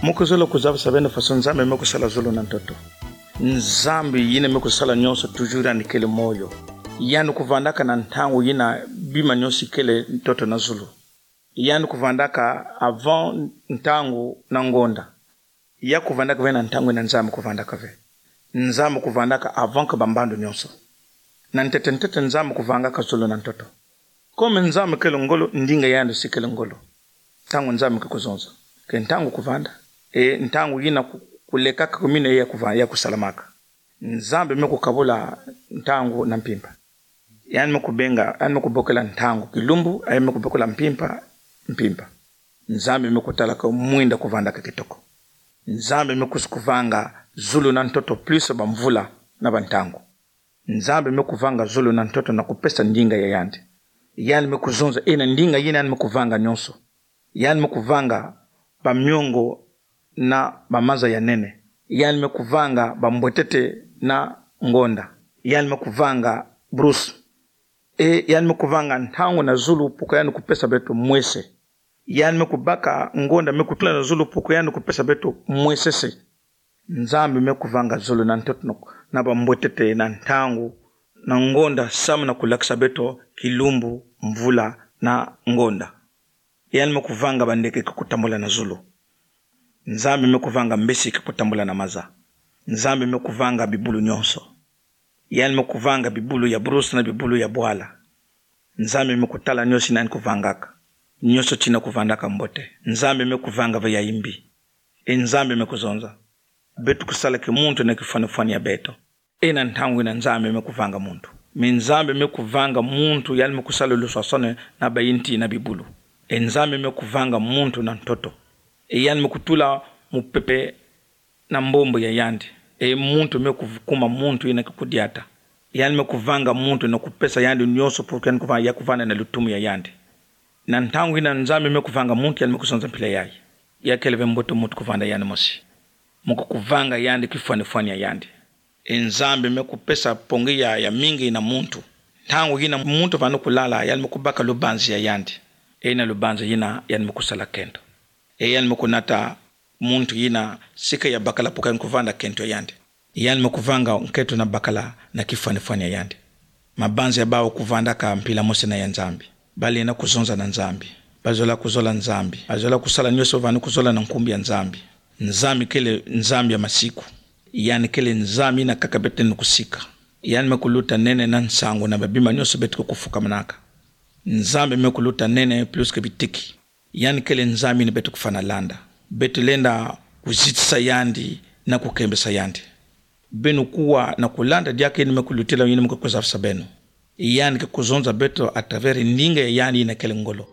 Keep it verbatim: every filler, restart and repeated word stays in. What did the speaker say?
Mo ke zolo kuzabasa beno façon Nzambi me kusala zulu na ntoto. Nzambi yina me kusala nyonso, toujours yandi kele moyo. Yandi kuvandaka na ntangu yina bima nyonso ikele ntoto na zulu. Yandi kuvandaka avant ntangu na ngonda. Ya kuvandaka ve na ntangu yina Nzambi kuvandaka ve. Nzambi kuvandaka avant que bambandu nyonso. Na ntete ntete Nzambi kuvangaka zulu na ntoto. Comme Nzambi kele ngolo, ndinga ya yandi si kele ngolo. Ntangu Nzambi ke kuzonza, ke ntangu kuvanda. E ntangu yina ku-, kulekaka kumina ya kuva-, ya kusalamaka. Nzambi me kukabula ntangu na mpimpa. Yandi me kubenga, yandi me kubokela ntangu kilumbu, yandi me kubokela mpimpa, mpimpa. Nzambi me kutala ka mwinda kuvandaka kitoko. Nzambi me kus-, kuvanga zulu na ntoto plus bamvula na bantangu. Nzambi me kuvanga zulu na ntoto na kupesa ndinga ya yandi. Yandi me kuzonza, e na ndinga yina yandi me kuvanga nyonso. Yandi me kuvanga bamiongo na bamaza ya nene. Yandi me kuvanga bambwetete na ngonda. Yandi me kuvanga bruce. E yandi me kuvanga ntangu na zulu pour que yandi kupesa beto mwese. Yandi me kubaka ngonda me kutula na zulu pour que yandi kupesa beto mwesese. Nzambi me kuvanga zulu na ntoto na, na bambwetete na ntangu na ngonda samu na kulakisa beto kilumbu, mvula na ngonda. Yandi me kuvanga bandeke ke kutambula na zulu. Nzambi me kuvanga mbesi ke kutambula na maza. Nzambi me kuvanga bibulu nyonso. Yandi me kuvanga bibulu ya bruce na bibulu ya bwala. Nzambi me kutala nyonso yina yandi kuvangaka. Nyonso tina kuvandaka mbote. Nzambi me kuvanga ve ya mbi. E Nzambi me kuzonza, beto kusala kimuntu na kifwanifwani ya beto. E na ntangu yina Nzambi me kuvanga muntu. Mais Nzambi me kuvanga muntu, yandi me kusala luswaswani na bayinti na bibulu. E Nzambi me kuvanga muntu na ntoto. E yandi me kutula mupepe na mbombo ya yandi. E muntu me kuv-, kuma muntu yina ke kudiata. Yandi me kuvanga muntu na kupesa yandi nyonso pour que yandi kuva-, ya kuvanda na lutumu ya yandi. Na ntangu yina Nzambi me kuvanga muntu, yandi me kuzonza mpila yayi, ya kele ve mbote muntu kuvanda yandi mosi. Mo ke kuvanga yandi kifwanifwani ya yandi. E Nzambi me kupesa pongi ya, ya mingi na muntu. Ntangu yina muntu vano kulala, yandi me kubaka lubanzi ya yandi. E na lubanzi yina yandi me kusala kento. E yandi me kunata muntu yina sika ya bakala pour que yandi kuvanda kento ya yandi. Yandi me kuvanga nkento na bakala na kifwanifwani ya yandi. Mabanzi ya bawu kuvandaka mpila mosi na ya Nzambi. Balenda kuzonza na Nzambi. Bazola kuzola Nzambi. Bazola kusala nyonso vano kuzola na nkumbu ya Nzambi. Nzambi kele Nzambi ya masiku. Yandi kele Nzambi yina kaka beto lenda kusika. Yandi me kuluta nene na nsangu na babima nyonso beto ke kufukamanaka. Nzambi me kuluta nene plus que bitiki. Yandi kele Nzambi yina beto kufwana landa. Beto lenda kuzitisa yandi na kukembesa yandi. Beno kuwa na kulanda diaka yina me kulutila, yina me kuzafisa beno. Yandi ke kuzonza beto à travers ndinga ya yandi yina kele ngolo.